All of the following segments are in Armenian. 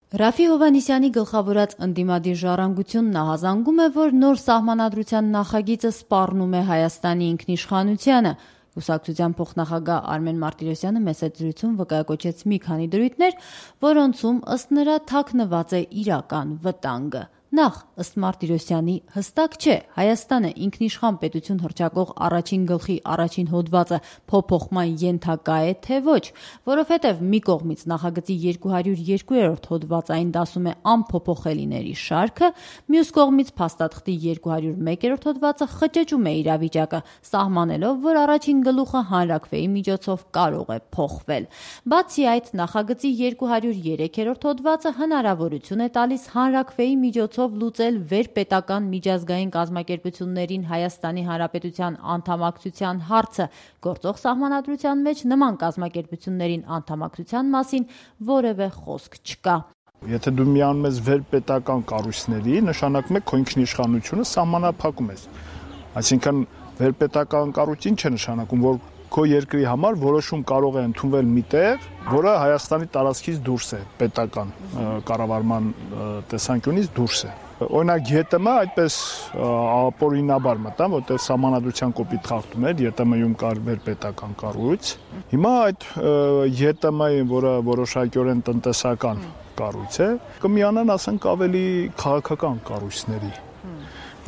Ռաֆի Հովհաննիսյանի գլխավորած ընդդիմադիր ժառանգությունն ահազանգում է, որ նոր սահմանադրության նախագիծը սպառնում է Հայաստանի ինքնիշխանությանը։ Կուսակցության փոխնախագահ Արմեն Մարտիրոսյանը մեծ զրույցում վկայակոչեց մի քանի դրույթներ, որոնցում ըստ նրա թաքնված է իրական վտանգը։ Նախ, ըստ Մարտիրոսյանի, հստակ չէ Հայաստանը ինքնիշխան պետություն հռչակող առաջին գլխի առաջին հոդվածը փոփոխման ենթակա է, թե ոչ, որովհետև մի կողմից նախագծի 202-րդ հոդվածային դասում է անփոփոխելիների շարքը, մյուս կողմից փաստաթղթի 201-րդ հոդվածը խճճում է իրավիճակը, սահմանելով, որ առաջին գլուխը հանրաքվեի միջոցով կարող է փոխվել։ Բացի այդ, նախագծի 203-րդ հոդվածը հնարավորություն է տալիս հանրաքվեի միջոցով լուծել վերպետական միջազգային կազմակերպություններին Հայաստանի Հանրապետության անդամակցության հարցը, գործող սահմանադրության մեջ նման կազմակերպություններին անդամակցության մասին որևէ խոսք չկա։ Եթե դու միանում ես վերպետական կառույցների, նշանակում է քո ինքնիշխանությունը սահմանափակում ես։ Այսինքն վերպետական կառույց ինչ է նշանակում, որ քո երկրի համար որոշում կարող է ընդունվել միտեղ, որը Հայաստանի տարածքից դուրս է, պետական կառավարման տեսանկյունից դուրս է։ Օրինակ ԵՏՄ այդպես ապօրինաբար մտան, որտեղ սահմանադրության կոպիտ խախտում էր, ԵՏՄ-ում կար վերպետական կառույց։ Հիմա այդ ԵՏՄ-ին, որը որոշակիորեն տնտեսական կառույց է, կմիանան, ասենք, ավելի քաղաքական կառույցների,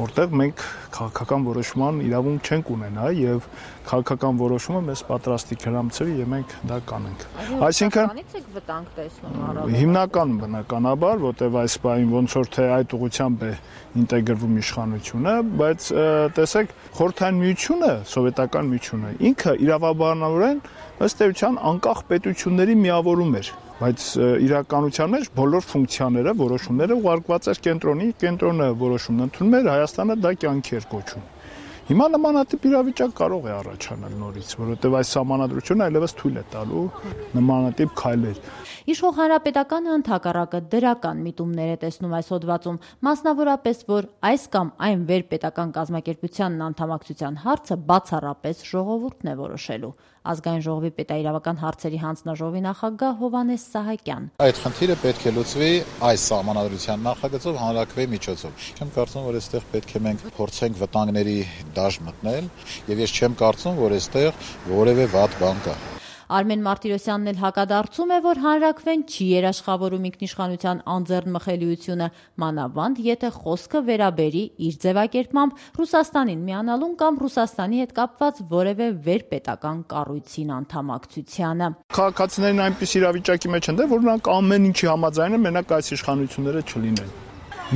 որտեղ մենք քաղաքական որոշման իրավունք չենք ունենա եւ քաղաքական որոշումը մեզ պատրաստի հրամցվի եւ մենք դա կանենք։ Այսինքն եք վտանգ տեսնում առավել։ Հիմնականում բնականաբար, որտեղ այս բային ոնց որ թե այդ ուղղությամբ է ինտեգրվում իշխանությունը, բայց տեսեք, Խորհրդային Միությունը, Սովետական Միությունը ինքը իրավաբանորեն ըստ էության անկախ պետությունների միավորում էր, բայց իրականության մեջ բոլոր ֆունկցիաները, որոշումները ուղարկված էր կենտրոնի, կենտրոնը որոշումն ընդունում էր, Հայաստանը դա կյանքի էր կոչում։ Հիմա նմանատիպ իրավիճակ կարող է առաջանալ նորից, որովհետև այս սահմանադրությունը այլևս թույլ է տալու նմանատիպ քայլեր։ Իշխող Հանրապետականը ընդհակառակը դրական միտումներ է տեսնում այս հոդվածում, մասնավորապես, որ այս կամ այն վերպետական կազմակերպությանն անդամակցության հարցը բացառապես ժողովուրդն է որոշելու։ Ազգային ժողովի պետաիրավական հարցերի հանձնաժողովի նախագահ Հովհաննես Սահակյան։ Այդ խնդիրը պետք է լուծվի այս սահմանադրության նախագծով հանրաքվեի միջոցով։ Չեմ կարծում, որ այստեղ պետք է մենք փորձենք վտանգների դաշտ մտնել, եւ ես չեմ կարծում, որ այստեղ որևէ վատ բան կա։ Արմեն Մարտիրոսյանն էլ հակադարձում է, որ հանրաքվեն չի երաշխավորում ինքնիշխանության անձեռնմխելիությունը, մանավանդ եթե խոսքը վերաբերի իր ձևակերպմամբ Ռուսաստանին միանալուն կամ Ռուսաստանի հետ կապված որևէ վերպետական կառույցին անդամակցությանը։ Քաղաքացիներն այնպես իրավիճակի մեջ են, որ նրանք ամեն ինչի համաձայն են, մենակ այս իշխանությունները չլինեն։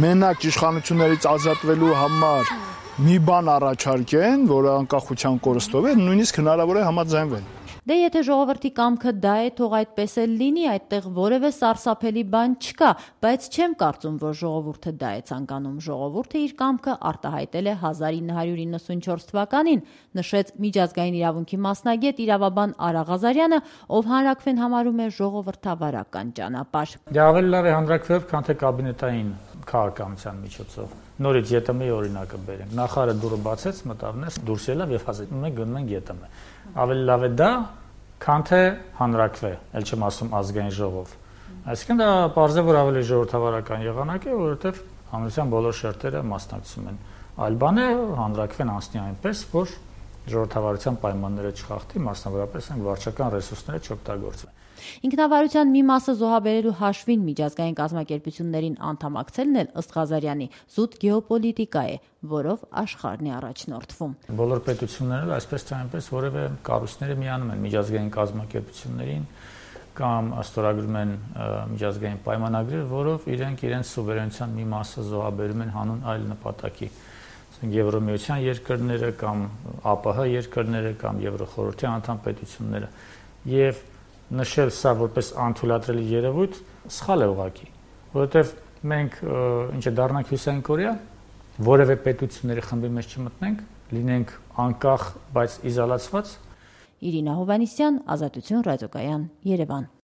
Մենակ իշխանություններից ազատվելու համար մի բան առաջարկեն, որը անկախության կորստով է, նույնիսկ հնարավոր է համաձայնվել։ Դե եթե ժողովրդի կամքը դա է, թող այդպես էլ լինի, այդտեղ որևէ սարսափելի բան չկա, բայց չեմ կարծում, որ ժողովուրդը դա է ցանկանում։ Ժողովուրդը իր կամքը արտահայտել է 1994 թվականին, նշեց միջազգային իրավունքի մասնագետ իրավաբան Արա Ղազարյանը, ով հանրաքվեն համարում է ժողովրդավարական ճանապարհ։ Դե ավելի լավ է հանրաքվեով, քան թե կաբինետային քաղաքականության միջոցով։ Նորից ԵՏՄ-ի օրինակը բերենք։ Նախարարը դուրը բացեց, մտավ ներս, դուրս ելավ եւ մենք գնում ենք ԵՏՄ։ Ավելի լավ է դա, քան թե հանրաքվե, ել չեմ ասում ազգային ժողով։ Այսինքն դա պարզ է, որ ավելի ժողովրդավարական եղանակ է, որովհետեւ հանրության բոլոր շերտերը մասնակցում են։ Այլ բան է հանրաքվեն անցնի այնպես, որ ժողովրդավարության պայմանները չխախտի, մասնավորապես այն վարչական ռեսուրսները չօգտագործվեն։ Ինքնավարության մի մասը զոհաբերելու հաշվին միջազգային կազմակերպություններին անդամակցելն էլ ըստ Ղազարյանի զուտ գեոպոլիտիկա է, որով աշխարհն է առաջնորդվում։ Բոլոր պետությունները այսպես թե այնպես որևէ կառույցները միանում են միջազգային կազմակերպություններին կամ ստորագրում են միջազգային պայմանագրեր, որով իրենց սուվերենության մի մասը զոհաբերում են հանուն այլ նպատակի։ Եվրոմիության երկրները կամ ԱՊՀ երկրները կամ Եվրոխորհրդի անդամ պետությունները եւ նշել սա որպես անթույլատրելի երևույթ սխալ է ուղղակի, որովհետև մենք ինչ է դառնանք Հյուսիսային Կորեա, որևէ պետությունների խմբի մեջ չմտնենք, լինենք անկախ, բայց իզոլացված։ Իրինա Հովհաննիսյան, Ազատություն ռադիոկայան, Երևան։